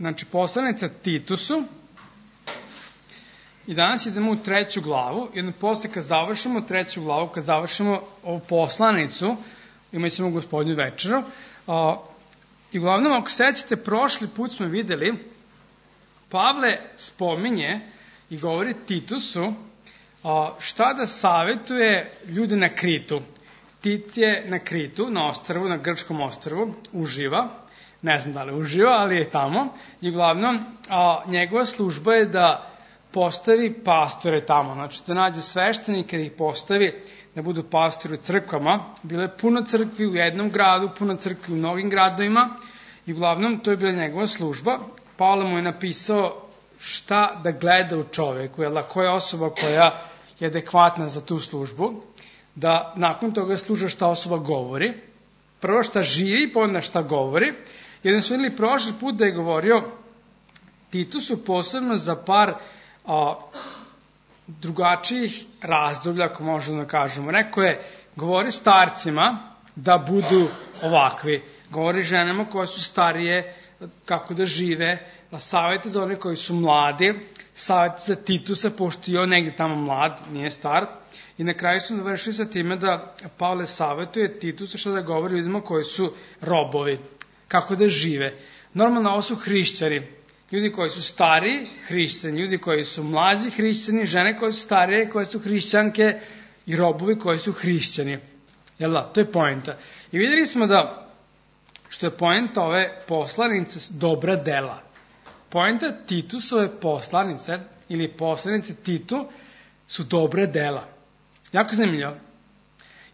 znači poslanica Titusu, i danas idemo u 3. glavu, i onda posle kad završimo 3. glavu, kad završimo ovu poslanicu, imat ćemo Gospodnju večeru. I uglavnom, ako sećate, prošli put smo videli, Pavle spominje i govori Titusu šta da savetuje ljude na Kritu. Tit je na Kritu, na ostrvu, na grčkom ostrvu, uživa. Ne znam da li uživa, ali je tamo. I uglavnom, njegova služba je da postavi pastore tamo. Znači, da nađe sveštenike, da ih postavi da budu pastori u crkvama. Bilo je puno crkvi u jednom gradu, puno crkvi u mnogim gradovima. I uglavnom, to je bila njegova služba. Pavle mu je napisao šta da gleda u čoveku, koja je osoba koja je adekvatna za tu službu, da nakon toga sluša šta osoba govori, prvo šta živi, pa onda šta govori. I onda smo vidjeli prošli put da je govorio Titusu posebno za par drugačijih razdoblja, ako možemo da kažemo. Rekao je, govori starcima da budu ovakvi, govori ženama koje su starije, kako da žive, savjete za one koji su mladi, savjete za Titusa, pošto je on negdje tamo mlad, nije star. I na kraju smo završili sa time da Pavle savjetuje Titusa što da govori ljudima koji su robovi, kako da žive. Normalno ovo su hrišćani, ljudi koji su stariji, hrišćani, ljudi koji su mlađi, hrišćani, žene koje su starije, koje su hrišćanke i robovi koji su hrišćani. Jel da, to je poenta. I vidjeli smo da što je poenta ove poslanice dobra dela. Poenta Titusove poslanice ili poslanice Titu su dobra dela. Jako zanimljivo.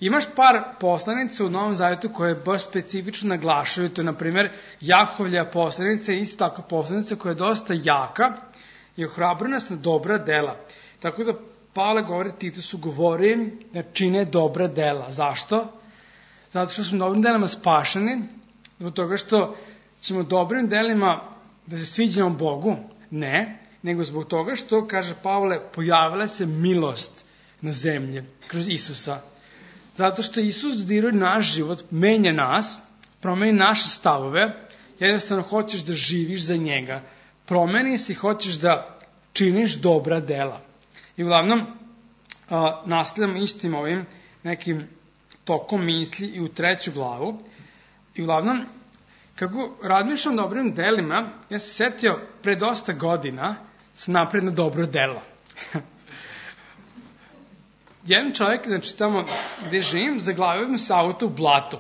Imaš par poslanica u Novom Zavjetu koje baš specifično naglašaju. To je, na primjer, Jakovlja poslanica je isto tako poslanica koja je dosta jaka i ohrabruju nas na dobra dela. Tako da Pavle govori Titusu, govori da čine dobra dela. Zašto? Zato što smo dobrim delima spašeni, zbog toga što ćemo dobrim delima da se sviđamo Bogu. Ne, nego zbog toga što, kaže Pavle, pojavila se milost na zemlji kroz Isusa. Zato što Isus dodiruje naš život, menja nas, promeni naše stavove, jednostavno hoćeš da živiš za njega. Promeni se i hoćeš da činiš dobra dela. I uglavnom, nastavljamo istim ovim nekim tokom misli i u 3. glavu. I uglavnom, kako razmišljam dobrim delima, ja se setio pre dosta godina sam napred na dobro delo. Jedan čovjek, znači tamo gde živim, zaglavio mi se auto u blatu.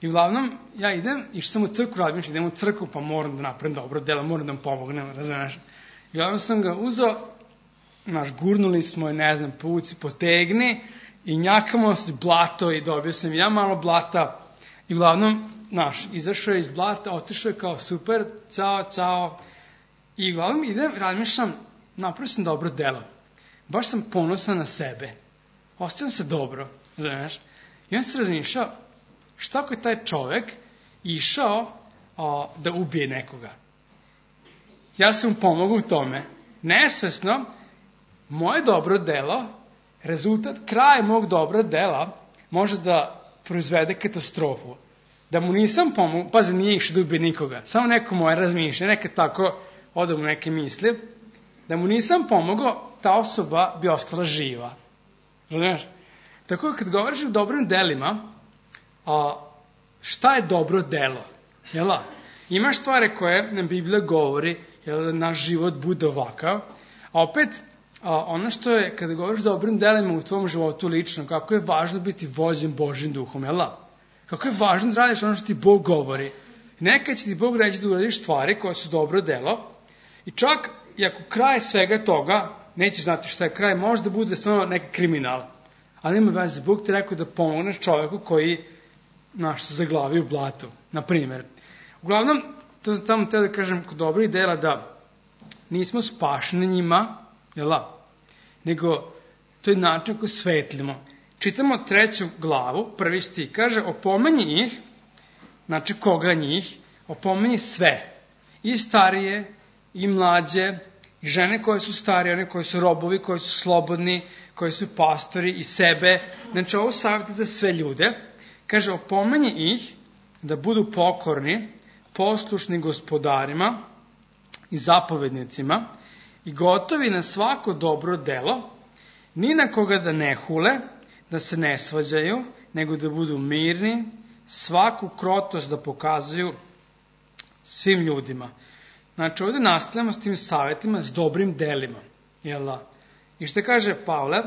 I uglavnom, ja išao sam u crkvu, razmišljam, idem u crkvu, pa moram da napravim dobro delo, moram da mu pomognem, razumiješ. I uglavnom sam ga uzeo, gurnuli smo je, ne znam, povuci, potegni, i njakamo se blato i dobio sam ja malo blata. I uglavnom, izašao je iz blata, otišao je kao super, ćao. I uglavnom idem, razmišljam, napravio sam dobro delo. Baš sam ponosan na sebe. Osjećam se dobro, znaš. I on se razmišljao, šta ako je taj čovjek išao da ubije nekoga? Ja sam mu pomogao u tome. Nesvesno, moje dobro delo, rezultat, kraj mog dobra dela, može da proizvede katastrofu. Da mu nisam pomogao, pazi, nije išao da ubije nikoga, samo neko moje razmišlja, neka tako odam u neke misli, da mu nisam pomogao, ta osoba bi ostala živa. Znaš? Tako kad govoriš o dobrim delima, šta je dobro delo? Jel' imaš stvari koje nam Biblija govori, da naš život bude ovakav, a opet ono što je, kada govoriš o dobrim delima u tvom životu lično, kako je važno biti vođen Božjim duhom, jel'? Kako je važno da radiš ono što ti Bog govori. Nekad će ti Bog reći da uradiš stvari koje su dobro delo, i čak i ako kraj svega toga, nećeš znati šta je kraj, može da bude stvarno neki kriminal. Ali nema veze, Bog ti rekao da pomogneš čovjeku koji se zaglavi u blatu, na primjer. Uglavnom, to sam tamo teo da kažem kod dobrih dela da nismo spašeni njima, nego to je način koji svetlimo. Čitamo 3. glavu, 1. stih, kaže, opomenji ih, znači koga njih, opomenji sve, i starije, i mlađe, i žene koje su starije, one koji su robovi, koji su slobodni, koji su pastori, i sebe. Znači, ovo savjeti za sve ljude. Kaže, opomenji ih da budu pokorni, poslušni gospodarima, i zapovednicima i gotovi na svako dobro delo, ni na koga da ne hule, da se ne svađaju, nego da budu mirni, svaku krotost da pokazuju svim ljudima. Znači, ovdje nastavljamo s tim savjetima, s dobrim delima. I što kaže Pavle,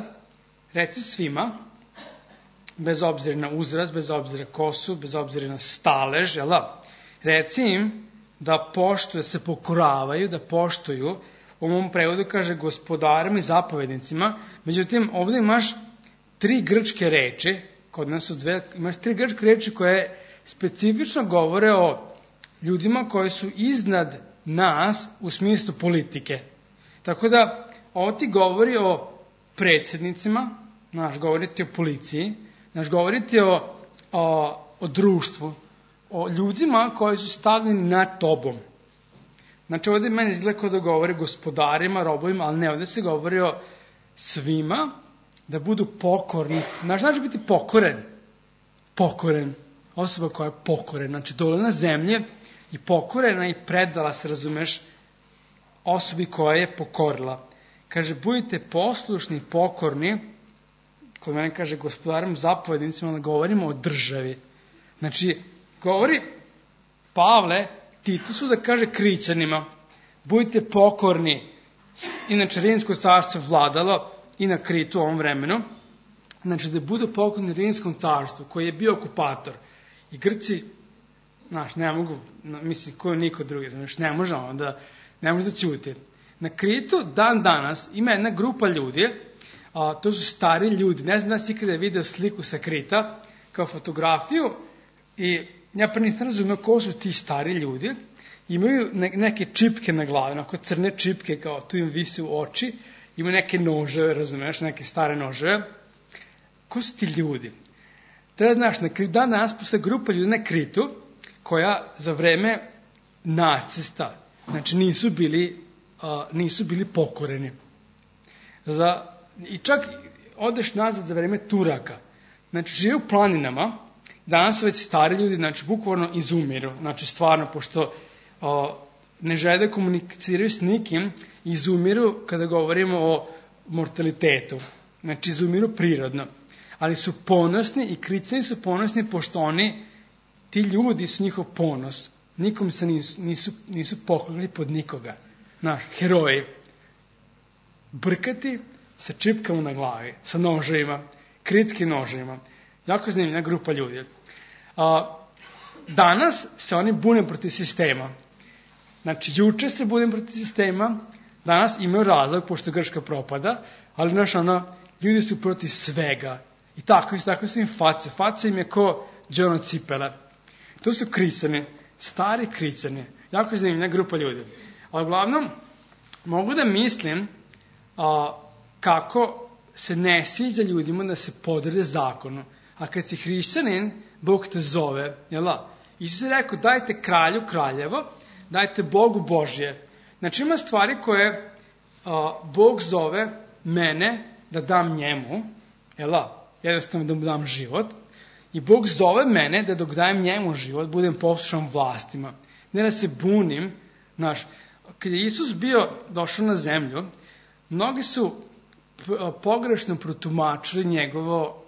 reci svima, bez obzira na uzrast, bez obzira kosu, bez obzira na stalež, reci im da poštuju, se pokoravaju, da poštuju. U mom prevodu kaže gospodarima i zapovednicima, međutim ovdje imaš 3 grčke reči, kod nas su 2, imaš 3 grčke reči koje specifično govore o ljudima koji su iznad nas u smislu politike. Tako da ovo ti govori o predsjednicima, govori ti o policiji, govori ti o društvu, o ljudima koji su stavljeni nad tobom. Znači ovdje meni izgleda kao da govori gospodarima, robovima, ali ne, ovdje se govori o svima da budu pokorni. Znači biti pokoren, osoba koja je pokoren, znači dole na zemlje i pokorena i predala se, razumeš, osobi koja je pokorila. Kaže, budite poslušni, pokorni, kod mene kaže gospodarim zapovednicima, onda govorimo o državi. Znači, govori Pavle Titusu da kaže Krićanima, budite pokorni. Inače, Rimsko carstvo vladalo i na Kritu u ovom vremenu. Znači, da budu pokorni Rimskom carstvu, koji je bio okupator. I Grci, ne mogu, mislim, ko niko drugi, ne može da ćuti. Na Kritu, dan danas, ima jedna grupa ljudi, to su stari ljudi. Ne znam da si ikada video sliku sa Krita, kao fotografiju, i ja prvi nisam razumio ko su ti stari ljudi. Imaju neke čipke na glavi, onako crne čipke, kao tu im visi u oči, imaju neke noževe, razumiješ, neke stare noževe. Ko su ti ljudi? Treba znaš, na Kritu, dan danas postoje grupa ljudi na Kritu, koja za vreme nacista, znači nisu bili pokoreni. I čak odeš nazad za vreme Turaka. Znači, žive u planinama, danas su već stari ljudi, znači, bukvalno izumiru. Znači, stvarno, pošto ne žele da komuniciraju s nikim, izumiru kada govorimo o mortalitetu. Znači, izumiru prirodno. Ali su ponosni i Krićani su ponosni, pošto ti ljudi su njihov ponos. Nikom se nisu poklonili pod nikoga. Heroji. Brkati sa čipkama na glavi, sa noževima, kritskim noževima. Jako zanimljiva grupa ljudi. Danas se oni bune protiv sistema. Znači, juče se bune protiv sistema, danas imaju razlog, pošto Grčka propada, ali ljudi su protiv svega. I tako su im face. Face im je ko đono cipele. To su Krićani, stari Krićani. Jako zanimljiva grupa ljudi. Ali uglavnom, mogu da mislim kako se ne sviđa ljudima da se podrede zakonu. A kad si hrišćanin, Bog te zove. Isus je rekao, dajte kralju kraljevo, dajte Bogu Božje. Znači ima stvari koje Bog zove mene da dam njemu, jednostavno da mu dam život, i Bog zove mene da dok dajem njemu život, budem poslušan vlastima. Ne da se bunim. Kad je Isus došao na zemlju, mnogi su pogrešno protumačili njegovo,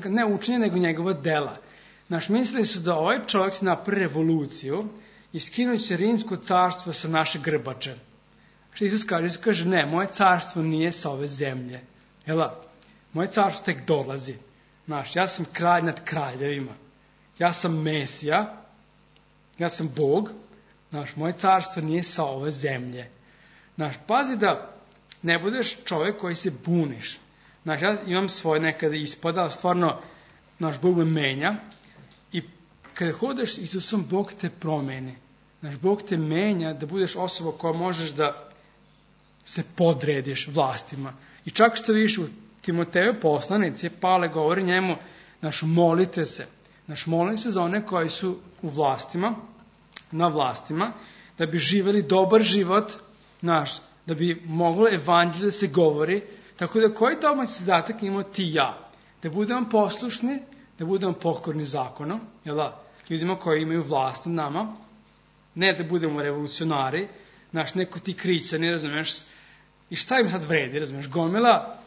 ne učenje, nego njegova dela. Mislili su da ovaj čovjek se napravi revoluciju i skinući će Rimsko carstvo sa naše grbače. Što Isus kaže? Isus kaže, ne, moje carstvo nije sa ove zemlje. Moje carstvo tek dolazi. Ja sam kralj nad kraljevima. Ja sam Mesija. Ja sam Bog. Moje carstvo nije sa ove zemlje. Pazi da ne budeš čovjek koji se buniš. Ja imam svoje nekada ispada, ali stvarno Bog me menja. I kada hodeš s Isusom, Bog te promeni. Bog te menja da budeš osoba koja možeš da se podrediš vlastima. I čak što vidiš u Timoteju poslanici, Pavle govori njemu, molite se. Molite se za one koji su u vlastima, na vlastima, da bi živjeli dobar život, da bi moglo evanđelje da se govori. Tako da koji domaći zadatak imamo ti i ja? Da budemo poslušni, da budemo pokorni zakonu, ljudima koji imaju vlast nad nama, ne da budemo revolucionari, neko ti krića, ne razumeš, i šta im sad vredi, razumeš, gomila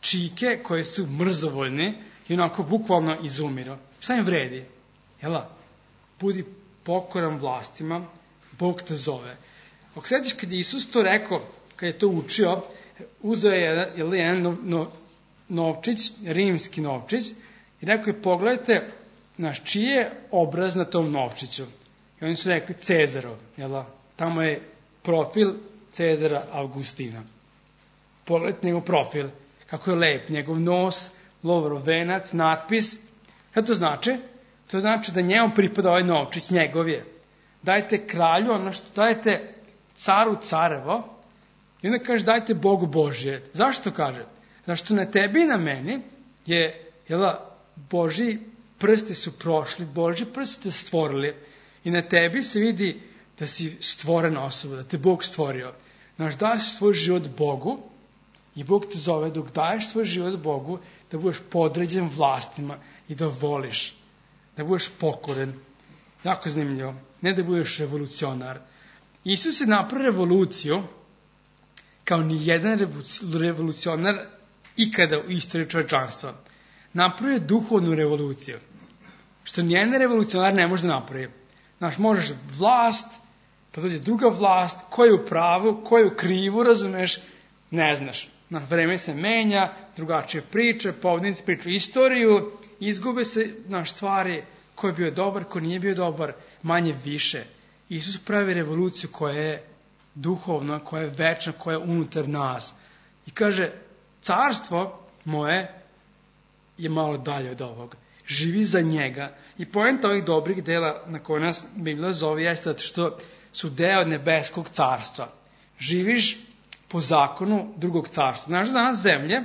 čike koje su mrzovoljne i onako bukvalno izumiru. Šta im vredi? Jela, budi pokoran vlastima, Bog te zove. Ako sjetiš kad je Isus to rekao, kad je to učio, uzeo je jedan novčić, rimski novčić, i rekao je, pogledajte, čiji je obraz na tom novčiću. I oni su rekli Cezarov, jela, tamo je profil Cezara Augustina. Pogledajte njegov profil, kako je lep, njegov nos, lovorov venac, natpis. Šta to znači? To znači da njemu pripada ovaj novčić, njegov je. Dajte kralju ono što dajete caru carevo, i onda kaže dajte Bogu Božje. Zašto kaže? Zašto na tebi i na meni je, Božji prsti su prošli, Božji prsti ste stvorili i na tebi se vidi da si stvorena osoba, da te Bog stvorio. Daš svoj život Bogu i Bog te zove dok daješ svoj život Bogu da budeš podređen vlastima i da voliš, da budeš pokoren. Jako zanimljivo. Ne da budeš revolucionar. Isus je napravio revoluciju kao ni jedan revolucionar ikada u istoriji čovječanstva. Napravio je duhovnu revoluciju. Što nijedan revolucionar ne može da napravi. Možeš vlast, pa dođe druga vlast, ko je u pravu, ko je u krivu, razumeš, ne znaš. Vreme se menja, drugačije priče, povednici pričaju istoriju, izgube se stvari, ko je bio dobar, ko nije bio dobar, manje više. Isus pravi revoluciju koja je duhovna, koja je večna, koja je unutar nas. I kaže, carstvo moje je malo dalje od ovoga. Živi za njega. I poenta ovih dobrih dela na koje nas Biblija zove jeste zato što su deo nebeskog carstva. Živiš po zakonu drugog carstva. Znaš da danas zemlje,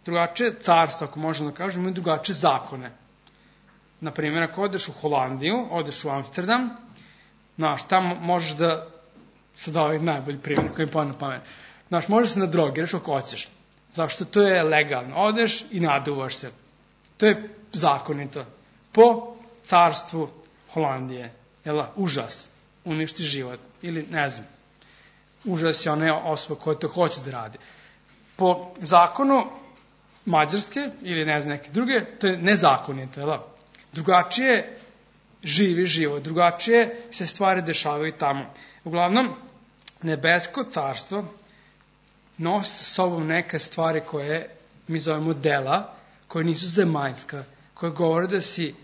drugačije carstva, ako možemo da kažemo, imaju drugačije zakone. Naprimjer, ako odeš u Holandiju, odeš u Amsterdam, tamo možeš da, sad ovaj najbolji primjer koji mi pa na pamet, možeš se nadrogiraš ako hoćeš. Zašto? To je legalno. Odeš i naduvaš se. To je zakonito. Po carstvu Holandije. Užas. Uništi život. Ili ne znam. Užas je ona osoba koja to hoće da radi. Po zakonu Mađarske ili ne znam neke druge, to je nezakonito. Drugačije živi život. Drugačije se stvari dešavaju tamo. Uglavnom, nebesko carstvo nosi sa sobom neke stvari koje mi zovemo dela, koje nisu zemaljska, koje govore da si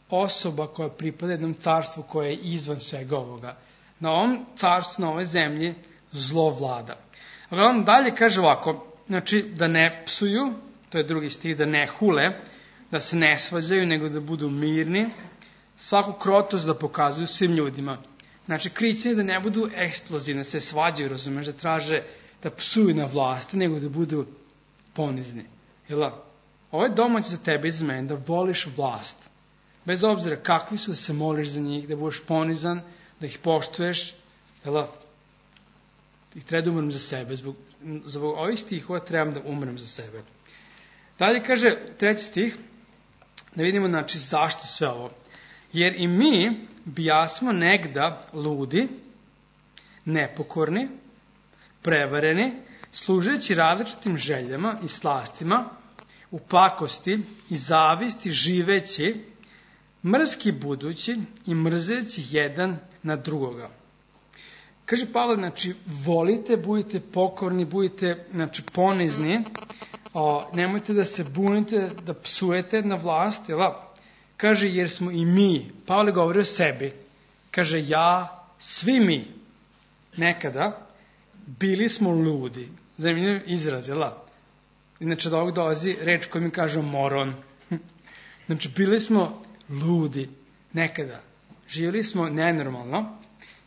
osoba koja pripada jednom carstvu koje je izvan svega ovoga. Na ovom carstvu, na ovoj zemlji, zlo vlada. Uglavnom, dalje kaže ovako, da ne psuju, to je drugi stih, da ne hule, da se ne svađaju, nego da budu mirni, svaku krotost da pokazuju svim ljudima. Krici da ne budu eksplozivne, da se svađaju, razumeš, da traže da psuju na vlasti, nego da budu ponizni. Ovo je domać za tebe i za mene, da voliš vlast. Bez obzira kakvi su, da se moliš za njih, da budeš ponizan, da ih poštuješ. I treba da umrem za sebe. Zbog ovih stihova trebam da umrem za sebe. Dalje kaže, 3. stih, da vidimo zašto sve ovo. Jer i mi bijasmo negda ludi, nepokorni, prevareni, služeći različitim željama i slastima, u pakosti i zavisti živeći, mrski budući i mrzeći jedan na drugoga. Kaže Pavle, volite, budite pokorni, budite, ponizni, nemojte da se bunite, da psujete na vlast, Kaže, jer smo i mi, Pavle govori o sebi, kaže, ja, svi mi, nekada, bili smo ludi. Zanimljiv izraz, Inače, od ovog dolazi reč koju mi kažu moron. Bili smo ludi, nekada. Živjeli smo nenormalno.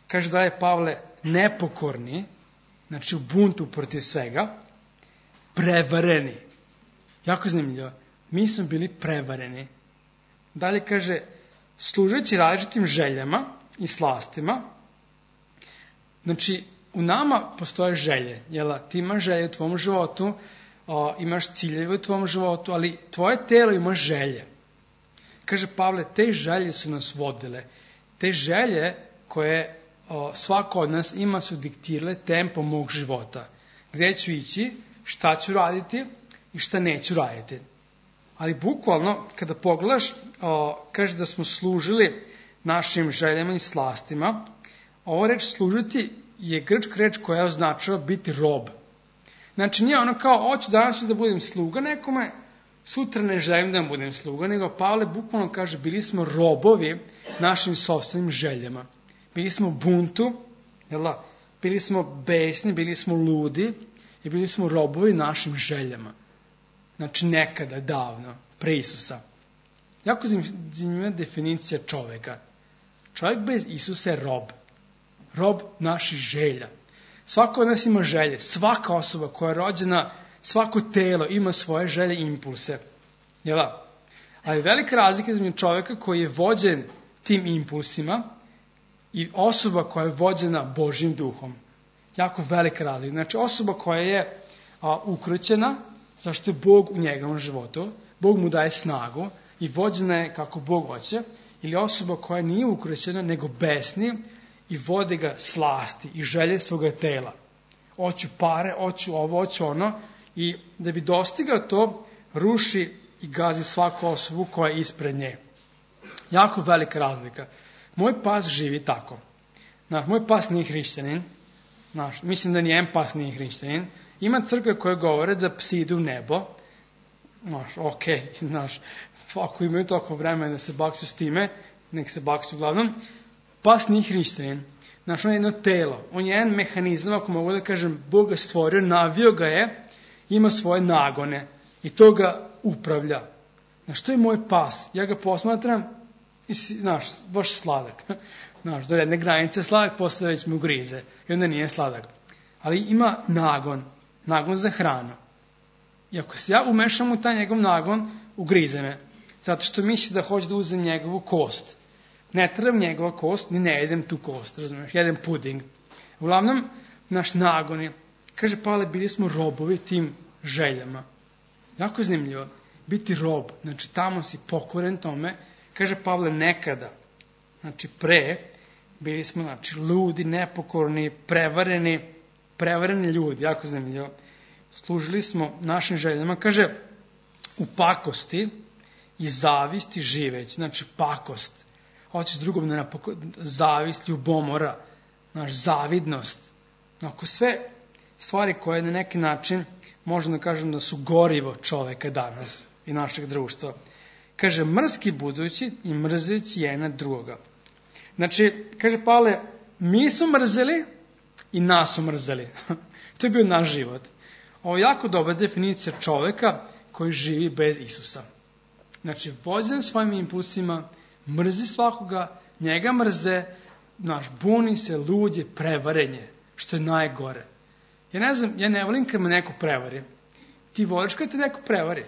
Kaže da je Pavle nepokorni, u buntu protiv svega, prevareni. Jako zanimljivo. Mi smo bili prevareni. Dalje kaže, služeći različitim željama i slastima. U nama postoje želje. Ti imaš želje u tvom životu, imaš ciljeve u tvom životu, ali tvoje telo ima želje. Kaže Pavle, te želje su nas vodile. Te želje koje svako od nas ima su diktirale tempo mog života. Gde ću ići, šta ću raditi i šta neću raditi. Ali bukvalno, kada pogledaš, kaže da smo služili našim željama i slastima, ovo reč služiti je grčka reč koja označava biti rob. Znači nije ono kao, hoću danas da budem sluga nekome, sutra ne želim da budem sluga, nego Pavle bukvalno kaže, bili smo robovi našim sopstvenim željama. Bili smo u buntu, bili smo besni, bili smo ludi i bili smo robovi našim željama. Znači nekada, davno, pre Isusa. Jako zanimljiva definicija čoveka. Čovjek bez Isusa je rob. Rob naših želja. Svako od nas ima želje. Svaka osoba koja je rođena, svako telo ima svoje želje i impulse. Jel da? Ali velika razlika između čovjeka koji je vođen tim impulsima i osoba koja je vođena Božjim duhom. Jako velika razlika. Znači osoba koja je ukrećena, zašto je Bog u njegovom životu, Bog mu daje snagu i vođena je kako Bog hoće, ili osoba koja nije ukrećena, nego besni i vode ga slasti i želje svoga tela. Hoću pare, hoću ovo, hoću ono, i da bi dostigao to, ruši i gazi svaku osobu koja je ispred nje. Jako velika razlika. Moj pas živi tako. Moj pas nije hrišćanin. Mislim da nijedan pas nije hrišćanin. Ima crkve koje govore da psi idu u nebo. Ako imaju toliko vremena da se bakću s time, nek se bakću uglavnom. Pas nije hrišćanin. On je jedno telo. On je jedan mehanizam, ako mogu da kažem, Bog ga stvorio, navio ga je, ima svoje nagone i to ga upravlja. To je moj pas. Ja ga posmatram i baš sladak. Do jedne granice sladak, posle već mu grize. I onda nije sladak. Ali ima nagon. Nagon za hranu. I ako se ja umešam u taj njegov nagon, ugrize me. Zato što misli da hoće da uzem njegovu kost. Ne trebam njegova kost, ni ne jedem tu kost. Razumiješ? Jedem puding. Uglavnom, naš nagon je. Kaže Pavle, bili smo robovi tim željama. Jako zanimljivo. Biti rob. Znači, tamo si pokoren tome. Kaže Pavle, nekada. Znači, pre. Bili smo, ludi, nepokorni, prevareni ljudi. Jako zanimljivo. Služili smo našim željama. Kaže, u pakosti i zavisti živeći. Znači, pakost. Hoćeš drugom da zavist, ljubomora, zavidnost. Ako sve stvari koje na neki način možemo da kažem da su gorivo čoveka danas i našeg društva. Kaže, mrski budući i mrzeći jedan drugoga. Znači, kaže Pavle, mi smo mrzeli i nas su mrzeli. To je bio naš život. Ovo je jako dobra definicija čoveka koji živi bez Isusa. Znači, vođen svojim impulsima, mrzi svakoga, njega mrze, buni se, lud je, prevaren je, što je najgore. Ja ne volim kad me neko prevari. Ti voliš kad te neko prevari?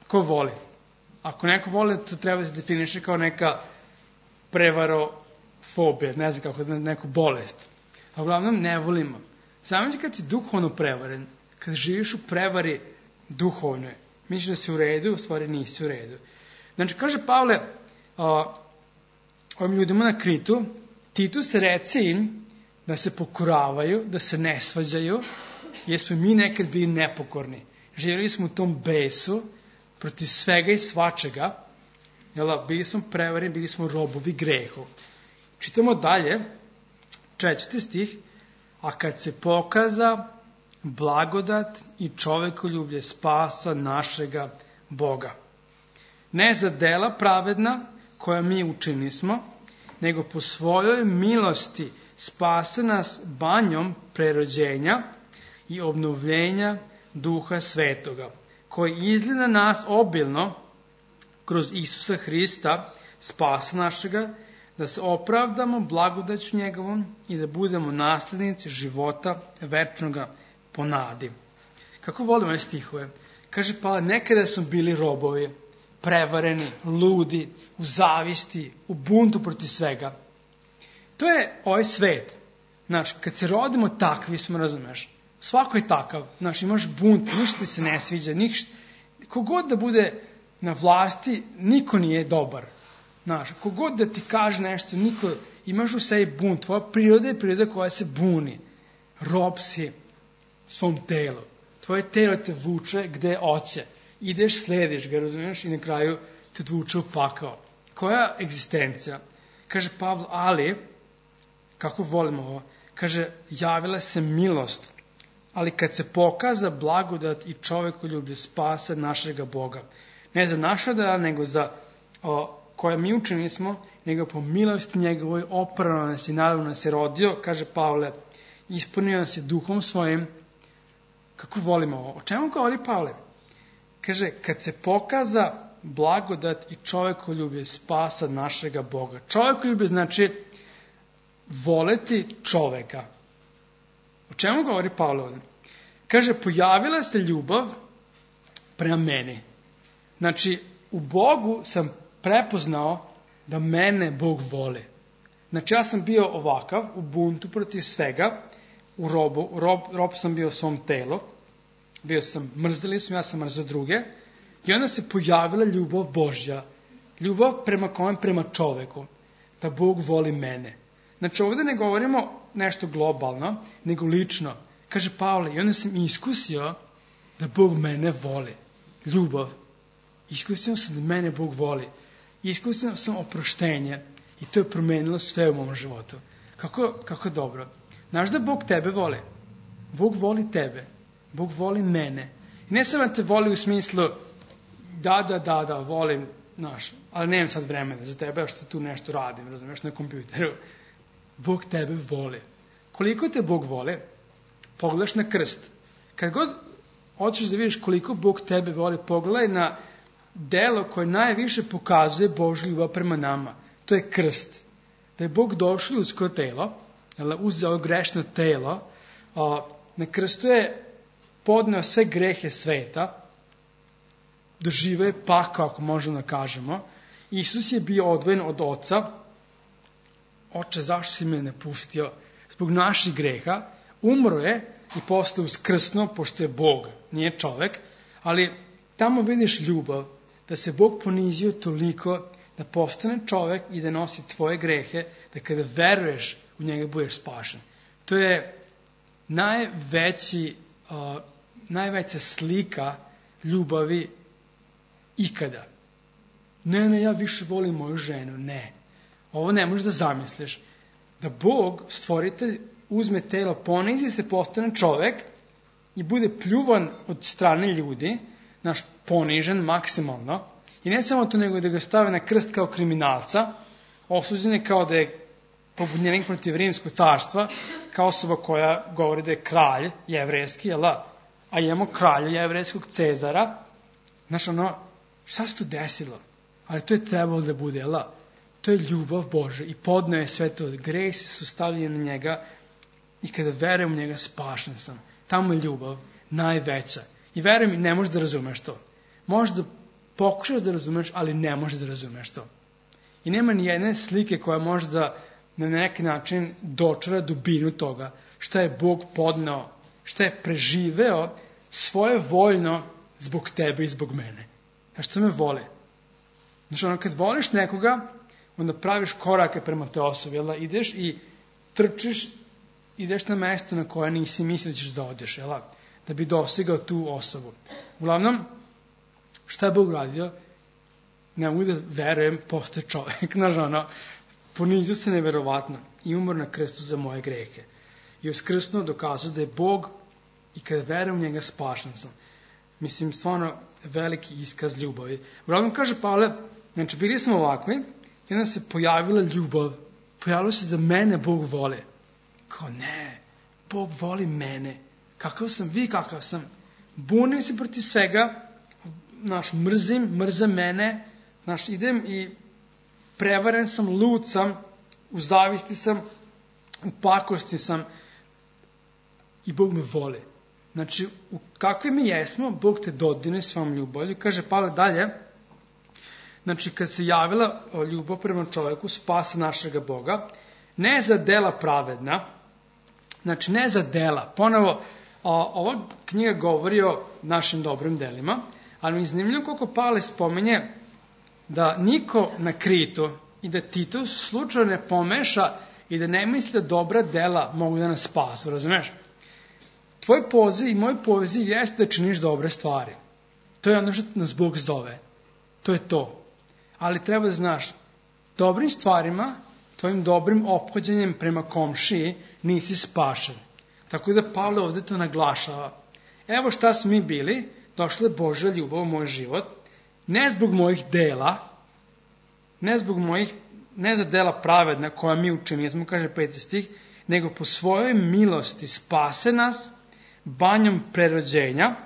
Ko voli? Ako neko voli, to treba da se definiše kao neka prevarofobija, ne znam kako, neku bolest. A uglavnom ne volimo. Zamisli kad si duhovno prevaren, kad živiš u prevari duhovnoj, misliš da si u redu, u stvari nisi u redu. Znači, kaže Pavle, ovim ljudima na Kritu, Titus reci im da se pokoravaju, da se ne svađaju, jer smo mi nekad bili nepokorni. Živjeli smo u tom besu, protiv svega i svačega, bili smo prevareni, bili smo robovi grehu. Čitamo dalje, 4. stih, a kad se pokaza blagodat i čovekoljublje spasa našega Boga. Ne za dela pravedna koja mi učinismo, nego po svojoj milosti spase nas banjom prerođenja i obnovljenja Duha Svetoga, koji izgleda nas obilno kroz Isusa Hrista, spasa našega, da se opravdamo blagodaću njegovom i da budemo naslednici života večnoga po nadi. Kako volim ove stihove? Kaže Pavle, nekada smo bili robovi, prevareni, ludi, u zavisti, u buntu protiv svega. To je ovaj svet. Znači, kad se rodimo takvi smo, razumeš, svako je takav. Znači, imaš bunt, ništa ti se ne sviđa, kogod da bude na vlasti, niko nije dobar. Znači, kogod da ti kaže nešto, niko imaš u sebi bunt, tvoja priroda je priroda koja se buni. Rob si svom telu. Tvoje telo te vuče gde hoće. Ideš, slediš ga, razumiješ, i na kraju te vuče u pakao. Koja egzistencija? Kaže Pavle, ali, kako volimo ovo, kaže, javila se milost, ali kad se pokaza blagodat i čovekoljublje spasa našega Boga. Ne za naša dela, nego za koje mi učeni smo, nego po milosti njegovoj oprano nas i naravno nas je rodio, kaže Pavle, ispunio nas je duhom svojim. Kako volimo ovo? O čemu govori Pavle? Kaže, kad se pokaza blagodat i čovekoljublje spasa našega Boga. Čovekoljublje znači voleti čoveka. O čemu govori Pavle ovdje? Kaže, pojavila se ljubav prema meni. Znači, u Bogu sam prepoznao da mene Bog voli. Znači, ja sam bio ovakav, u buntu protiv svega, u rob sam bio svom telu, bio sam, mrzeli smo, ja sam mrzio druge, i onda se pojavila ljubav Božja, ljubav prema čoveku, da Bog voli mene. Znači, ovdje ne govorimo nešto globalno, nego lično. Kaže Pavle, i onda sam iskusio da Bog mene voli. Ljubav. Iskusio sam da mene Bog voli. Iskusio sam oproštenje i to je promenilo sve u mom životu. Kako dobro. Znaš da Bog tebe voli? Bog voli tebe. Bog voli mene. I ne samo da te voli u smislu da, volim, znaš, ali nemam sad vremena za tebe, što tu nešto radim, razumiješ, na kompjuteru. Bog tebe voli. Koliko te Bog voli? Pogledaš na krst. Kad god hoćeš da vidiš koliko Bog tebe voli, pogledaj na delo koje najviše pokazuje Božju ljubav prema nama. To je krst. Da je Bog došao u ljudsko telo, uzeo grešno telo, na krstu je podneo sve grehe sveta, doživeo je pakao, ako možemo da kažemo. Isus je bio odvojen od Oca. Oče, zašto si me napustio? Zbog naših greha. Umro je i postao uskrsno, pošto je Bog, nije čovek, ali tamo vidiš ljubav, da se Bog ponizio toliko da postane čovek i da nosi tvoje grehe, da kada veruješ u njega budeš spašen. To je najveća slika ljubavi ikada. Ne, ja više volim moju ženu. Ne. Ovo ne možeš da zamisliš. Da Bog, stvoritelj, uzme telo, ponizi se, postane čovek i bude pljuvan od strane ljudi, naš ponižen maksimalno, i ne samo to, nego da ga stave na krst kao kriminalca, osuđen je kao da je pobunjenik protiv Rimskog carstva, kao osoba koja govori da je kralj jevrejski, a imamo kralja jevrejskog Cezara. Znaš, šta se to desilo? Ali to je trebalo da bude, to je ljubav Božja i podneo je sve to. Gresi su stavljeni na njega i kada verujem u njega spašen sam. Tamo je ljubav najveća. I verujem, ne možeš da razumeš to. Možeš da pokušaš da razumeš, ali ne možeš da razumeš to. I nema ni jedne slike koja može da na neki način dočara dubinu toga. Šta je Bog podneo, šta je preživeo svoje voljno zbog tebe i zbog mene. A što me vole? Znači, kad voliš nekoga, onda praviš korake prema te osobi, ideš i trčiš, ideš na mesto na koje nisi mislio da ćeš da odeš, da bi dostigao tu osobu. Uglavnom, šta je Bog radio? Ne mogu da verujem, postoje čovjek, ponizio se neverovatno i umor na krstu za moje grehe. I uskrsno dokazao da je Bog i kada verujem u njega spašen sam. Mislim, stvarno veliki iskaz ljubavi. Uglavnom, kaže Pavle, znači, bili smo ovakvi i onda se pojavila ljubav. Pojavilo se da mene Bog voli. Kao ne, Bog voli mene. Kakav sam, vi kakav sam. Bunim se protiv svega, mrze mene, idem i prevaren sam, lud sam, u zavisti sam, u pakosti sam i Bog me voli. Znači, u kakvi mi jesmo, Bog te dodirne svom ljubavlju. Kaže Pavle dalje, znači, kad se javila ljubav prema čovjeku, spasa našega Boga, ne za dela pravedna, znači ne za dela. Ponovo, ova knjiga govori o našim dobrim delima, ali mi je zanimljivo koliko Pavle spominje da niko na Kritu i da Titus slučajno ne pomeša i da ne misli da dobra dela mogu da nas spasu, razumeš? Tvoj poziv i moj poziv jeste da činiš dobre stvari. To je ono što nas Bog zove. To je to. Ali treba da znaš, dobrim stvarima, tvojim dobrim ophođenjem prema komšiji nisi spašen. Tako da Pavle ovdje to naglašava. Evo šta smo mi bili, došla je Božja ljubav u moj život, ne zbog mojih dela, ne za dela pravedna koja mi učinimo, kaže 5. stih, nego po svojoj milosti spase nas banjom prerođenja,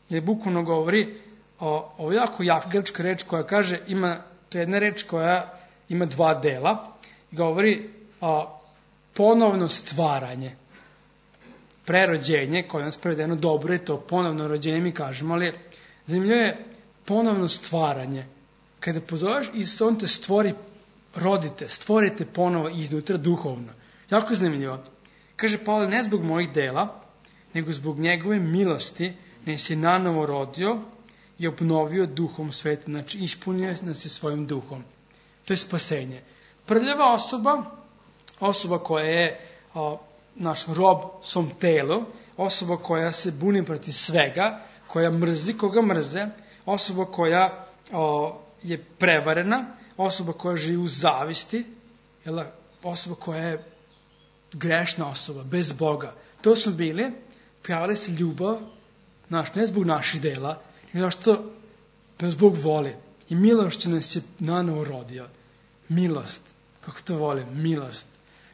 jer bukvalno govori o jako jaka grčka reč koja kaže, to je jedna reč koja ima dva dela, govori ponovno stvaranje. Prerođenje, koje nas prevedeno dobro je to, ponovno rođenje mi kažemo, ali zanimljivo je ponovno stvaranje. Kada pozoveš Isusa, on te stvori, rodite, stvorite ponovo iznutra duhovno. Jako zanimljivo. Kaže Pavle, ne zbog mojih dela, nego zbog njegove milosti, nas je nanovo rodio i obnovio duhom sveta. Znači, ispunio nas je svojim duhom. To je spasenje. Prljava osoba koja je naš rob svom telu, osoba koja se buni protiv svega, koja mrzi koga mrze, osoba koja je prevarena, osoba koja živi u zavisti, osoba koja je grešna osoba, bez Boga. To smo bili, pojavila se ljubav, ne zbog naših dela, nego što nas Bog voli. I milošću nas je nanovo rodio. Milost. Kako to volim? Milost.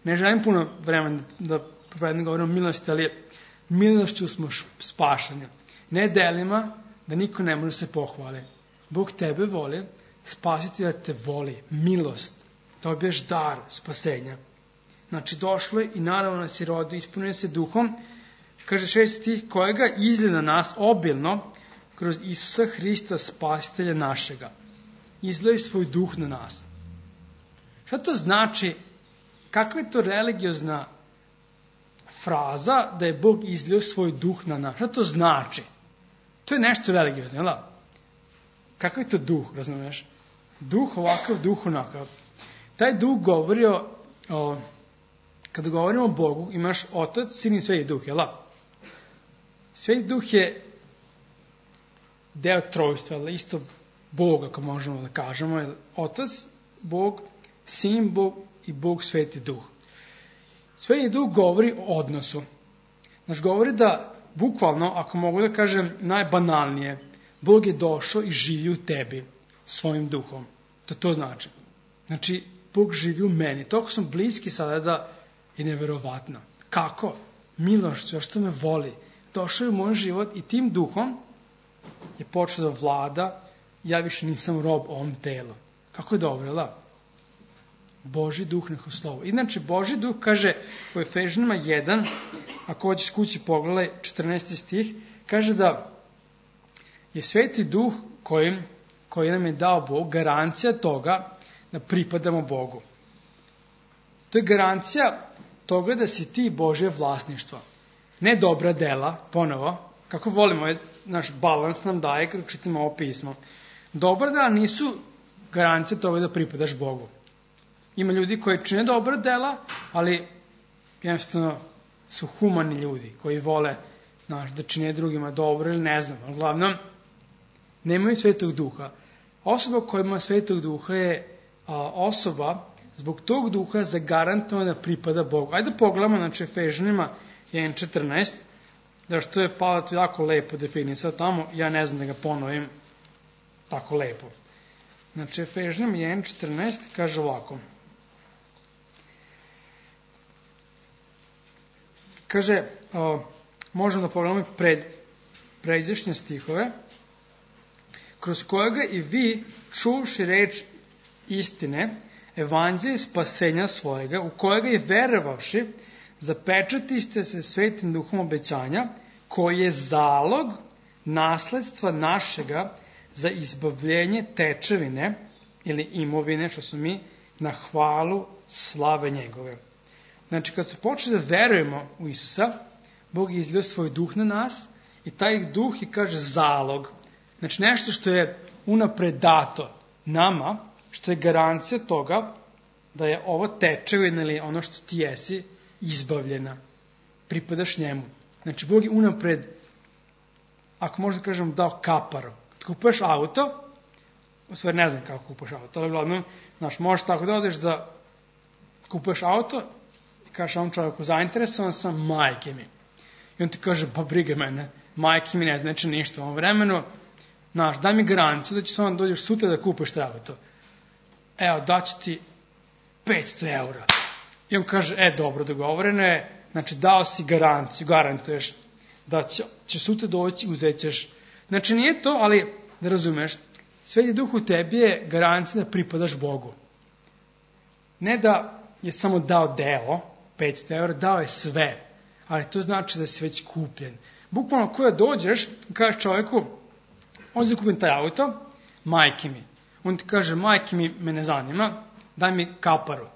Ne želim puno vremena da povedem govorim o milosti, ali milošću smo spašeni. Ne delima da niko ne može se pohvali. Bog tebe voli, spasiti da te voli. Milost. Dobiješ dar spasenja. Znači došlo je i naravno nas je rodio, ispunio se duhom. Kaže 6. stih, kojega izlije na nas obilno kroz Isusa Hrista spasitelja našega. Izlije svoj duh na nas. Šta to znači? Kakva je to religiozna fraza da je Bog izlio svoj duh na nas? Šta to znači? To je nešto religiozno, jel? Kakav je to duh, razumiješ? Duh ovakav, duh onakav. Taj duh govori kada govorimo o Bogu, imaš Otac, Sin i Sveti Duh, jel? Sveti Duh je deo trojstva, ali isto Bog, ako možemo da kažemo. Otac, Bog, Sin, Bog i Bog Sveti Duh. Sveti Duh govori o odnosu. Znači, govori da, bukvalno, ako mogu da kažem najbanalnije, Bog je došao i živi u tebi svojim duhom. To znači. Znači, Bog živi u meni. Toliko sam bliski sada da je neverovatno. Kako? Milošću, što me voli. Došao je u moj život i tim duhom je počeo da vlada. Ja više nisam rob ovom telu. Kako je dobro, da? Božji duh neko slovo. Inače, Božji duh kaže u Efežanima 1, ako hoćeš kući pogledaj 14. stih, kaže da je Sveti Duh koji nam je dao Bog garancija toga da pripadamo Bogu. To je garancija toga da si ti Božje vlasništvo. Ne dobra dela, ponovo, kako volimo, naš balans nam daje kada čitamo ovo pismo. Dobra dela nisu garancija toga da pripadaš Bogu. Ima ljudi koji čine dobra dela, ali jednostavno su humani ljudi koji vole da čine drugima dobro ili ne znam. Uglavnom, nemaju Svetog Duha. Osoba koja ima Svetog Duha je osoba zbog tog duha zagarantovana da pripada Bogu. Ajde pogledamo, znači Efežanima 1.14, da što je Pavle to jako lepo definisao tamo, ja ne znam da ga ponovim tako lepo. Znači Efežanima 1.14 kaže ovako. Kaže, možemo da pogledamo pređašnje stihove, kroz kojega i vi, čuvši reč istine, evanđelje spasenja svojega, u kojega i verovavši, zapečatiste se Svetim Duhom obećanja, koji je zalog nasledstva našega za izbavljenje tečevine ili imovine, što su mi, na hvalu slave njegove. Znači, kad se počne da verujemo u Isusa, Bog je izlio svoj duh na nas i taj duh je, kaže, zalog. Znači, nešto što je unapred dato nama što je garancija toga da je ovo tečevina ili ono što ti jesi izbavljena. Pripadaš njemu. Znači, Bog je unapred, ako možda kažem, dao kaparu. Kad kupuješ auto, u stvari ne znam kako kupuješ auto, ali glavno, znaš, možeš tako da odeš da kupuješ auto i kažeš ovom čovjeku, zainteresovan sam, majke mi. I on ti kaže, pa briga mene, majke mi ne znači ništa u ovom vremenu, znaš, daj mi garanciju da će se onda dođeš sutra da kupiš taj auto. Evo, daću ti 500 eura. I on kaže, dobro, dogovoreno je, znači dao si garanciju, garantuješ da će sutra doći, uzet ćeš. Znači nije to, ali da razumeš, Sveti Duh u tebi je garancija da pripadaš Bogu. Ne da je samo dao deo, 500 eura, dao je sve, ali to znači da si već kupljen. Bukvalno koja dođeš, kažeš čovjeku, ovdje kupim taj auto, majke mi. On ti kaže, majke mi, me ne zanima, daj mi kaparu.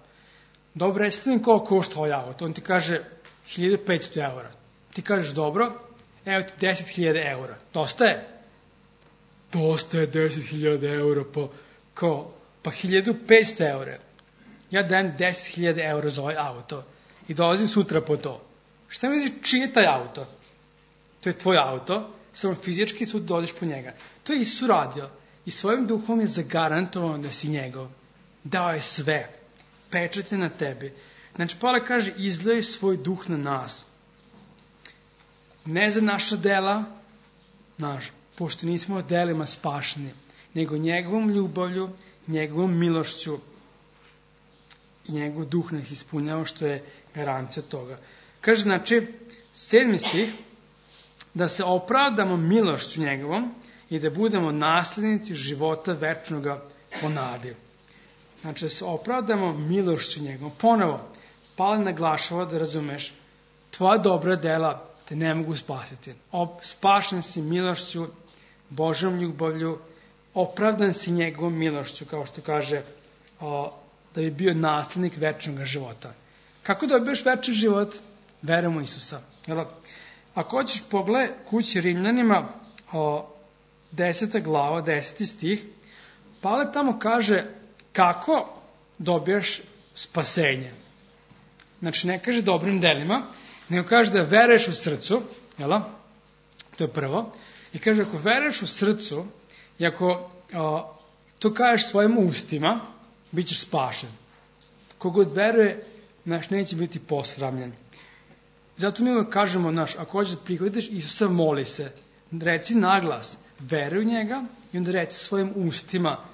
Dobro, jeste mi koliko košta ovaj auto? On ti kaže 1500 eura. Ti kažeš, dobro, evo ti 10.000 eura. Dosta je? Dosta je 10.000 eura, pa 1500 eura. Ja dajem 10.000 eura za ovaj auto i dolazim sutra po to. Šta mi znači čiji je taj auto? To je tvoj auto, samo fizički sutra dođeš po njega. To je Isus radio i svojim duhom je zagarantovano da si njegov. Dao je sve. Pečat je na tebi. Znači, Pavle kaže, izlej svoj duh na nas. Ne za naša dela, pošto nismo delima spašeni, nego njegovom ljubavlju, njegovom milošću i njegov duh nas ispunjava, što je garancija toga. Kaže, znači, 7. stih, da se opravdamo milošću njegovom i da budemo naslednici života večnoga po nadi. Znači, da se opravdamo milošću njegovom. Ponovo, Pavle naglašava da razumeš, tvoja dobra dela te ne mogu spasiti. Spašen si milošću, Božjom ljubavlju, opravdan si njegovom milošću, kao što kaže, da bi bio naslednik večnog života. Kako dobiješ večni život? Verom u Isusa. Ako hoćeš pogledaj kući Rimljanima, 10. glava, 10. stih, Pavle tamo kaže kako dobiješ spasenje. Znači, ne kaže dobrim delima, nego kaže da veruješ u srcu, to je prvo, i kaže ako veruješ u srcu i ako to kažeš svojim ustima, bit ćeš spašen. Kogod veruje, neće biti posramljen. Zato mi uvijek kažemo, ako hoćeš da prihvatiš Isusa, moli se. Reci naglas, veruj u njega i onda reci svojim ustima,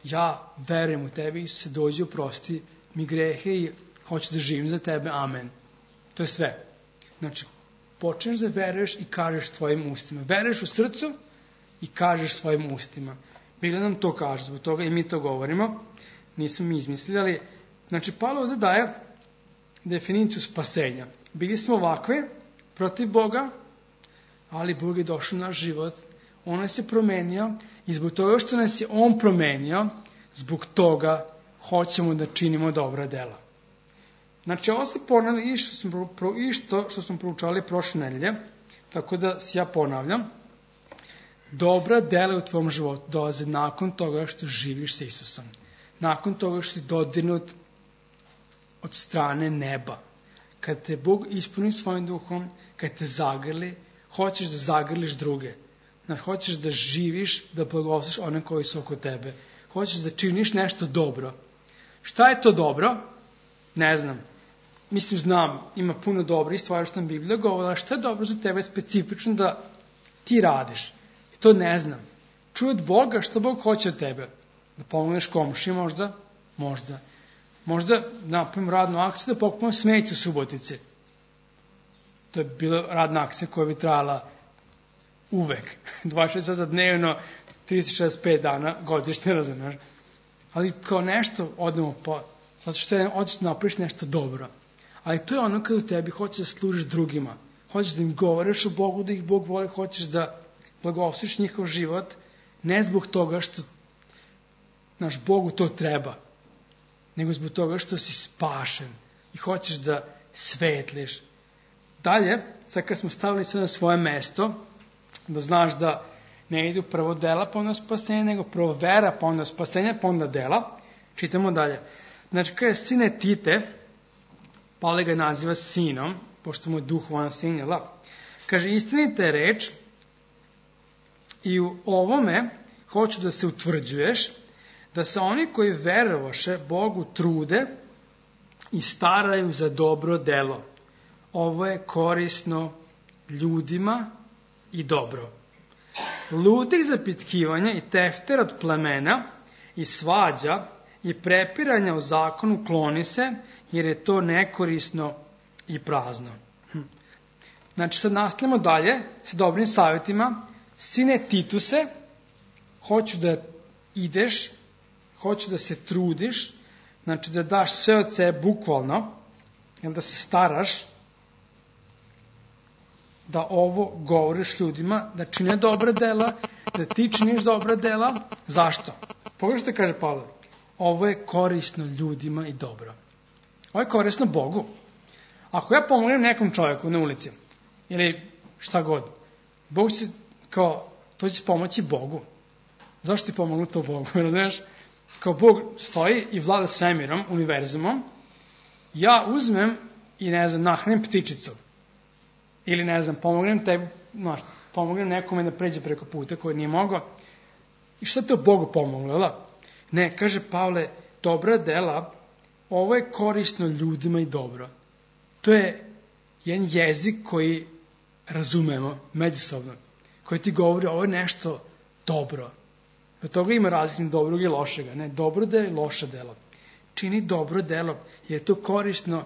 ja verujem u tebe, Isuse, dođi, oprosti mi grehe i hoću da živim za tebe, amen. To je sve. Znači, počneš da veruješ i kažeš svojim ustima. Veruješ u srcu i kažeš svojim ustima. Biblia nam to kaže, zbog toga i mi to govorimo. Nismo mi izmislili, ali znači, Pavle ovdje daje definiciju spasenja. Bili smo ovakvi, protiv Boga, ali Bog je došao u naš život. On nas je promenio i zbog toga što nas je On promenio, zbog toga hoćemo da činimo dobra dela. Znači, ovo se ponavlja i što smo proučali prošle nedelje, tako da se ja ponavljam. Dobra dela u tvom životu dolaze nakon toga što živiš sa Isusom. Nakon toga što si dodirnut od strane neba. Kad te Bog ispuni svojim duhom, kad te zagrli, hoćeš da zagrliš druge. Znači, hoćeš da živiš, da blagoslovljaš one koji su oko tebe. Hoćeš da činiš nešto dobro. Šta je to dobro? Ne znam. Mislim, znam, ima puno dobrih stvari što nam Biblija govora, šta je dobro za tebe specifično da ti radiš. I to ne znam. Čuj od Boga šta Bog hoće od tebe. Da pomogneš komši možda? Možda. Možda napravim radnu akciju da pokupimo smeće u Subotici. To je bila radna akcija koja bi trajala uvek. 26 sata dnevno, 365 dana, godišnje, razumiješ. Ali kao nešto odemo zato što hoćeš da napraviš nešto dobro. Ali to je ono kad u tebi hoćeš da služiš drugima. Hoćeš da im govoriš o Bogu, da ih Bog voli, hoćeš da blagosloviš njihov život, ne zbog toga što Bogu to treba, nego zbog toga što si spašen i hoćeš da svetliš. Dalje, sad kad smo stavili sve na svoje mesto, da znaš da Ne idu prvo dela, pa onda spasenje, nego prvo vera, pa onda spasenje, pa onda dela. Čitamo dalje. Znači, kaže, sine Tite, Pavle ga naziva sinom, pošto mu je duhovan sin, jel da? Kaže, istinita je reč i u ovome hoću da se utvrđuješ, da se oni koji verovaše Bogu trude i staraju za dobro delo. Ovo je korisno ljudima i dobro. Ludih zapitkivanja i tefter od plemena i svađa i prepiranja o zakonu kloni se, jer je to nekorisno i prazno. Znači, sad nastavljamo dalje sa dobrim savjetima. Sine Tituse, hoću da ideš, hoću da se trudiš, znači da daš sve od sebe bukvalno, da se staraš, da ovo govoriš ljudima, da čine dobra dela, da ti činiš dobra dela. Zašto? Pogledaj što kaže Pavle. Ovo je korisno ljudima i dobro. Ovo je korisno Bogu. Ako ja pomognem nekom čovjeku na ulici, ili šta god, Bog će, to će pomoći Bogu. Zašto ti pomognu to Bogu? Razumiješ? Kao Bog stoji i vlada svemirom, univerzumom, ja uzmem i, nahranim ptičicu. Ili, pomognem tebi, pomognem nekome da pređe preko puta koji nije mogao. I šta to Bogu pomoglo, da? Ne, kaže Pavle, dobra dela, ovo je korisno ljudima i dobro. To je jedan jezik koji razumemo međusobno, koji ti govori ovo je nešto dobro. Od toga ima različnih dobrog i lošega. Ne, dobro delo i loše delo. Čini dobro delo, jer je to korisno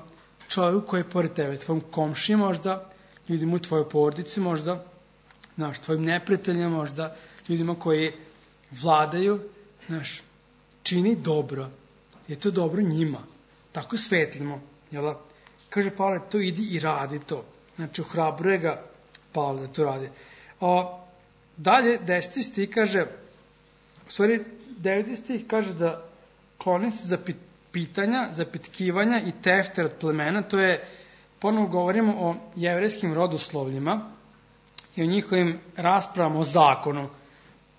čovjeku koji je pored tebe, tvojom komšiji možda, ljudima u tvojoj porodici možda, tvojim neprijateljima možda, ljudima koji vladaju, čini dobro. Je to dobro njima. Tako svetlimo. Jel? Kaže Pavle, to idi i radi to. Znači, ohrabruje ga Pavle da to radi. Dalje, 10. stih kaže, u stvari, 9. stih kaže da kloni se za pitanja, zapitkivanja i tefter od plemena. To je, ponovo govorimo o jevrejskim rodoslovljima i o njihovim raspravama o zakonu.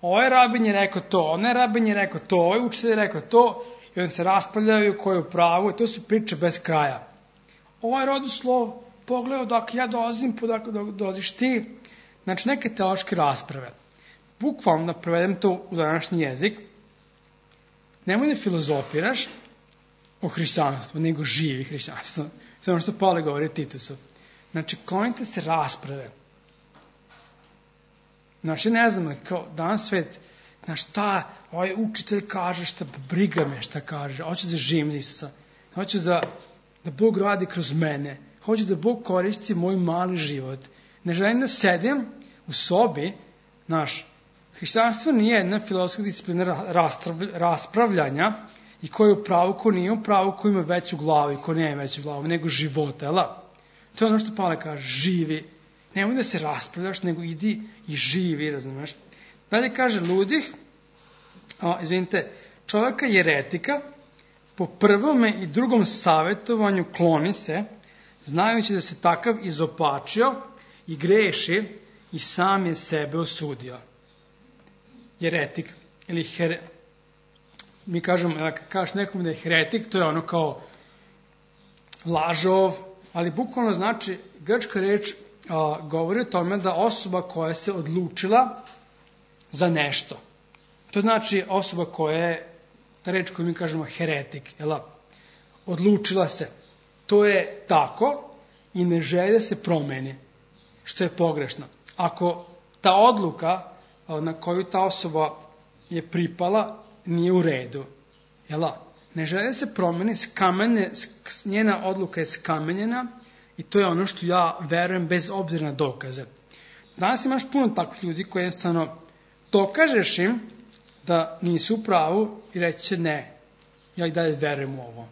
Ovaj rabin je rekao to, onaj rabin je rekao to, ovaj učitelj je rekao to, i onda se raspravljaju ko je u pravu, i to su priče bez kraja. Ovaj rodoslov, pogledaj odakle ja dolazim, odakle dolaziš ti. Znači, neke teološke rasprave. Bukvalno da prevedem to u današnji jezik, nemoj da filozofiraš o hrišćanstvu, nego živi hrišćanstvo. Samo što Pavle govori Titusu. Znači, klonite se rasprave. Znači, ne znam, kao danas svet, šta ovaj učitelj kaže, šta briga me šta kaže, hoću da živim za Isusa, hoću da Bog radi kroz mene, hoću da Bog koristi moj mali život. Ne želim da sedim u sobi, hrišćanstvo nije jedna filozofska disciplina raspravljanja i ko je u pravu, ko nije u pravu, ko ima veću glavu i ko nema veću glavu, nego života, jel? To je ono što Pavle kaže, živi. Nemoj da se raspravljaš, nego idi i živi, razumiješ? Dalje kaže ludih, čovjeka jeretika, po prvome i drugom savjetovanju kloni se, znajući da se takav izopačio i greši i sam je sebe osudio. Jeretik, ili mi kažemo, kad kažeš nekom da je heretik, to je ono kao lažov, ali bukvalno znači, grčka reč govori o tome da osoba koja se odlučila za nešto. To znači osoba koja je, reč koju mi kažemo heretik, odlučila se. To je tako i ne želi da se promeni, što je pogrešno. Ako ta odluka na koju ta osoba je pripala nije u redu, ne želi da se promeni, njena odluka je skamenjena i to je ono što ja verujem bez obzira na dokaze. Danas imaš puno takvih ljudi koji jednostavno dokažeš im da nisu u pravu i reći će ne, ja i dalje verujem u ovo.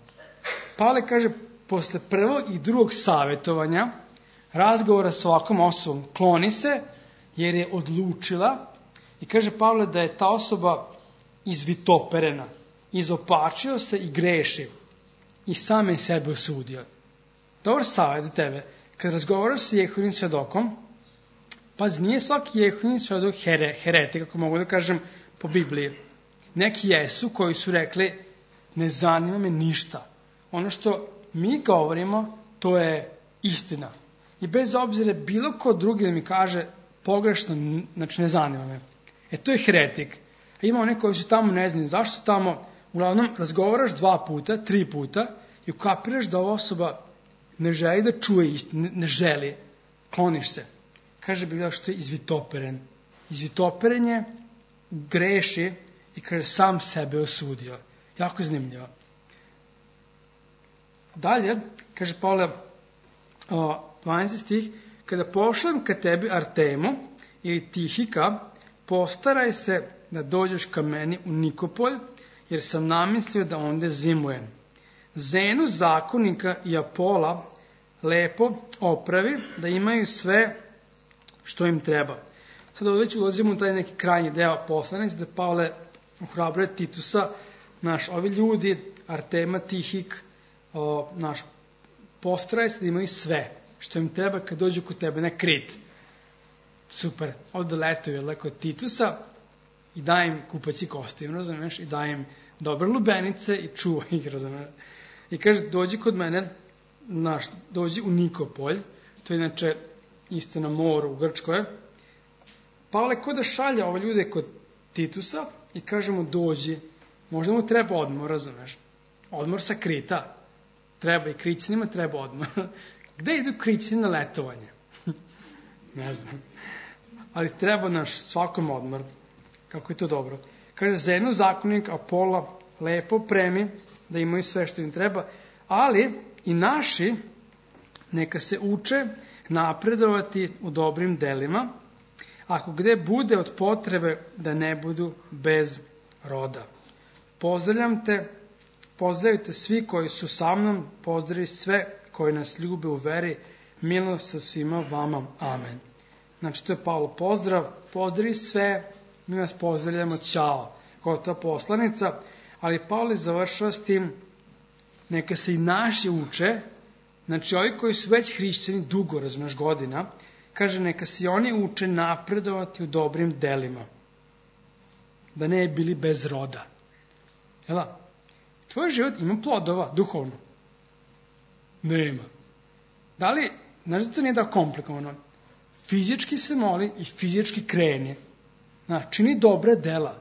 Pavle kaže, posle prvog i drugog savjetovanja, razgovora s ovakvom osobom, kloni se jer je odlučila i kaže Pavle da je ta osoba izvitoperena, izopačio se i greši i same sebe osudio. Dobar savjet za tebe, kad razgovaraš sa Jehovim svedokom, Pazi, nije svaki Jehovin svjedok heretik, kako mogu da kažem po Bibliji. Neki jesu koji su rekli, ne zanima me ništa. Ono što mi govorimo, to je istina. I bez obzira bilo ko drugi da mi kaže pogrešno, znači ne zanima me. To je heretik. A ima one koji su tamo ne znaju zašto tamo, uglavnom razgovaraš 2 puta, 3 puta i ukapiraš da ova osoba ne želi da čuje istinu, ne želi, kloniš se. Kaže Biblija što je izvitoperen. Izvitoperen je, greši i kaže sam sebe osudio. Jako zanimljivo. Dalje, kaže Pavle, 12. stih, kada pošlem ka tebi Artemu ili Tihika, postaraj se da dođeš ka meni u Nikopolj, jer sam namislio da onda zimujem. Zenu, zakonika i Apola lepo opravi, da imaju sve što im treba. Sad ovdje ulazimo u taj neki krajnji deo poslanic, da Pavle ohrabruje Titusa, ovi ljudi, Artema, Tihik, postaraj se da imaju sve što im treba kad dođu kod tebe na Krit. Super, ovdje letuju kod Titusa i daje im kupaći kostim, razumiješ, i daje im dobre lubenice i čuva ih, razumiješ. I kaže, dođi kod mene, dođi u Nikopolj, to je inače isto na moru u Grčkoj. Pavle ko da šalja ove ljude kod Titusa i kaže mu dođi, možda mu treba odmor, razumiješ, odmor sa Krita. Treba i Krićanima, treba odmor. Gde idu Krićani na letovanje? Ne znam. Ali treba svakom odmor. Kako je to dobro. Kaže, Zenu, zakonik, Apola, lepo premi, da imaju sve što im treba, ali i naši neka se uče napredovati u dobrim delima, ako gde bude od potrebe da ne budu bez roda. Pozdravite svi koji su sa mnom, pozdravi sve koji nas ljube u veri, milost sa svima vama. Amen. Znači, to je Pavlo pozdrav, pozdravi sve, mi vas pozdravljamo, ćao. Gotova poslanica, ali Pavle završava s tim, neka se i naši uče, znači ovi koji su već hrišćani dugo, razumeš, godina, kaže neka se i oni uče napredovati u dobrim delima, da ne bili bez roda. Jel' tvoj život ima plodova, duhovno? Nema. Da li, znaš da to nije da komplikovano? Fizički se moli i fizički kreni. Čini dobra dela.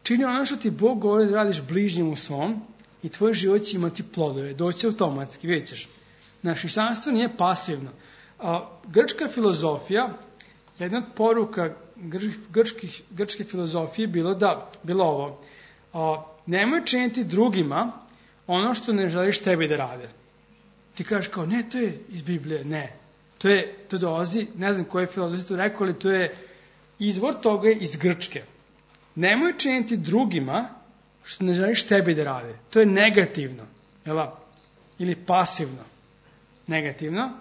Čini ono što ti Bog govori da radiš bližnjemu svom i tvoj život će imati plodove. Doći automatski, vidjet ćeš. Hrišćanstvo nije pasivno. Grčka filozofija, jedna od poruka grčke filozofije bilo ovo. Nemoj činiti drugima ono što ne želiš tebi da rade. Ti kažeš kao, ne, to je iz Biblije, ne. To dolazi, ne znam koje filozofije to rekao, ali to je izvor toga je iz Grčke. Nemoj činiti drugima što ne želiš tebi da rade. To je negativno. Ili pasivno. Negativno.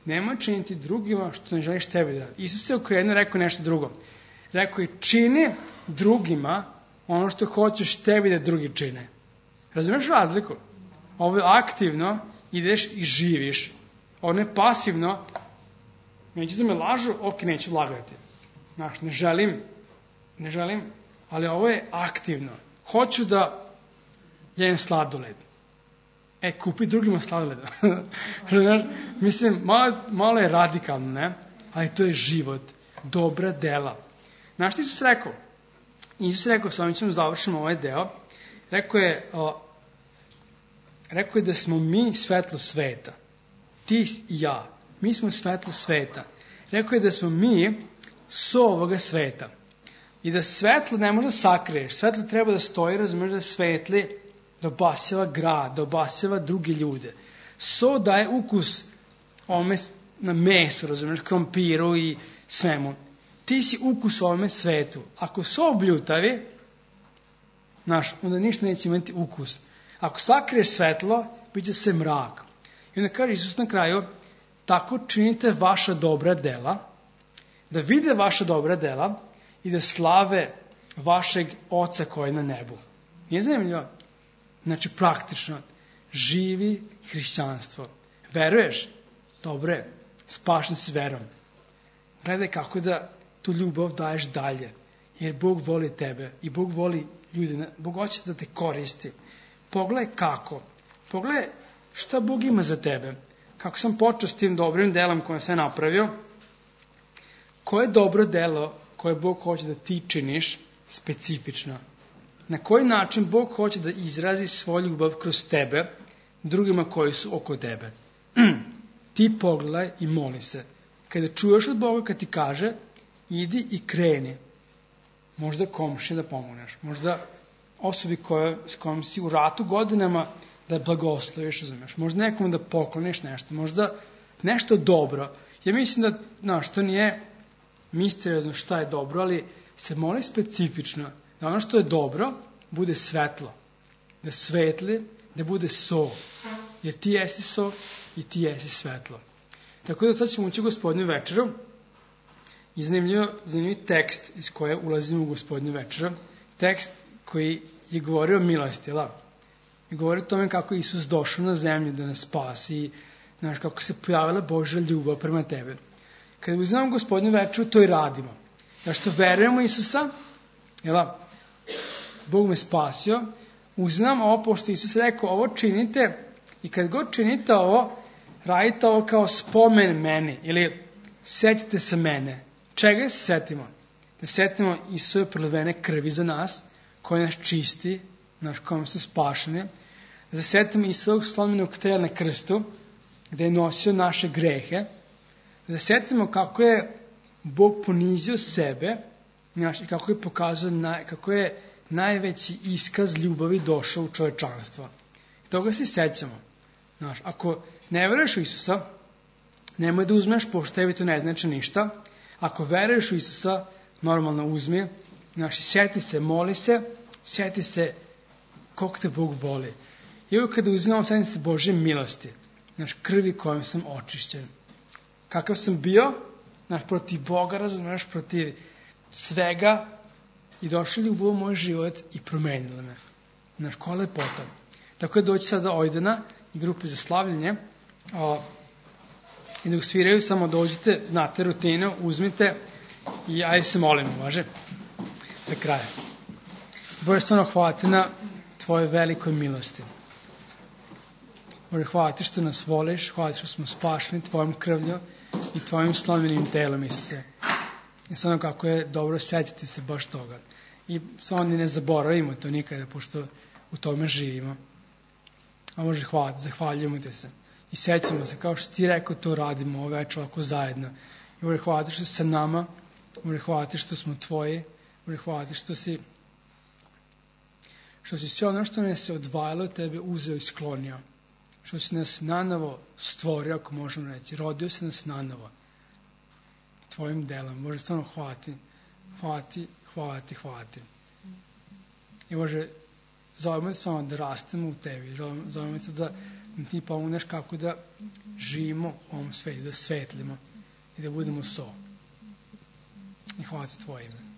Nemoj činiti drugima što ne želiš tebi da rade. Isus se okrenuo i rekao nešto drugo. Rekao je, čini drugima ono što hoćeš tebi da drugi čine. Razumiješ razliku? Ovo je aktivno, ideš i živiš. Ovo je pasivno, neću da me lažu, ok, neću lagati. Ne želim, ali ovo je aktivno. Hoću da jem sladoled. Kupi drugima sladoled. Mislim, malo je radikalno, ne? Ali to je život, dobra dela. Znaš što Isus rekao? Isus rekao, s ovim ćemo završimo ovaj deo, rekao je da smo mi svetlo sveta. Ti i ja. Mi smo svetlo sveta. Rekao je da smo mi so ovoga sveta. I da svetlo ne može da sakriješ. Svetlo treba da stoji, razumiješ, da svetli, da obasjava grad, da obasjava druge ljude. So daje ukus ovome na mesu, razumiješ, krompiru i svemu. Ti si ukus ovome svetu. Ako so obljutavi, onda ništa neće imati ukus. Ako sakriješ svetlo, bit će se mrak. I onda kaže Isus na kraju, tako činite vaša dobra dela, da vide vaša dobra dela i da slave vašeg Oca koji je na nebu. Nije zanimljivo? Znači, praktično, živi hrišćanstvo. Veruješ? Dobre, spašen si verom. Gledaj kako da tu ljubav daješ dalje. Jer Bog voli tebe i Bog voli ljude. Bog hoće da te koristi. Pogledaj kako. Pogledaj šta Bog ima za tebe. Kako sam počeo s tim dobrim delom koje sam napravio. Koje dobro delo koje Bog hoće da ti činiš specifično. Na koji način Bog hoće da izrazi svoju ljubav kroz tebe drugima koji su oko tebe. Ti pogledaj i moli se. Kada čuješ od Boga kad ti kaže, idi i kreni. Možda komši da pomogneš. Možda osobi s kojom si u ratu godinama da blagosloviš, razumiješ. Možda nekom da pokloniš nešto. Možda nešto dobro. Ja mislim da, to nije misteriozno šta je dobro, ali se moli specifično da ono što je dobro bude svetlo. Da svetli, da bude so. Jer ti jesi so i ti jesi svetlo. Tako da sad ćemo ući u Gospodnju večeru i zanimljiv tekst iz koje ulazimo u Gospodnju večeru. Tekst koji je govorio o milosti, i govori o tome kako je Isus došao na zemlju da nas spasi i kako se pojavila Božja ljubav prema tebe. Kada uzimamo Gospodnju večeru, to i radimo. Da što verujemo Isusa, Bog me spasio, uzimam ovo, pošto Isus rekao, ovo činite i kad god činite ovo, radite ovo kao spomen meni ili setite se mene. Čega se setimo? Da setimo Isusove prolivene krvi za nas, koji nas čisti, kojom su spašeni. Da setimo Isusovog slomljenog tela na krstu, gde je nosio naše grehe. Da setimo kako je Bog ponizio sebe i kako je pokazao kako je najveći iskaz ljubavi došao u čovečanstvo. Toga se sećamo. Ako ne veruješ u Isusa, nemoj da uzmeš, pošto tebi to ne znači ništa. Ako veruješ u Isusa, normalno uzmi. Sjeti se, moli se, sjeti se koliko te Bog voli. I uvijek kada uzimamo, sjeti se Božje milosti. Krvi kojom sam očišćen. Kakav sam bio, protiv Boga, razumiješ, protiv svega, i došli ljubav u moj život i promenila me. Koja lepota. Tako je doći sada Ojdana i grupe za slavljenje i da usviraju, samo dođite, znate rutinu, uzmite i ajde se molimo, važe, za kraj. Bože, stvarno hvala ti na tvoje velikoj milosti. Bože, hvala ti što nas voliš, hvala ti što smo spašeni tvojom krvlju i tvojim slomljenim telom, Isuse. I stvarno kako je dobro setiti se baš toga. I samo ni ne zaboravimo to nikada, pošto u tome živimo. A Bože, hvala ti, zahvaljujemo te se. I sećamo se, kao što ti rekao, to radimo ove večer ovako zajedno. I Bože, hvala ti što si sa nama, Bože, hvala ti što smo tvoji, Bože, hvala ti što si sve ono što nas se odvajalo od tebe uzeo i sklonio. Što si nas nanovo stvorio, ako možemo reći. Rodio si nas nanovo. Tvojim delom. Bože, stvarno hvala ti. Hvala ti, hvala ti, hvala ti. I Bože, zovemo te samo da rastemo u tebi. Zovemo te da ti pomogneš kako da živimo u ovom svetu, da svetlimo i da budemo so. I hvala ti tvoje ime.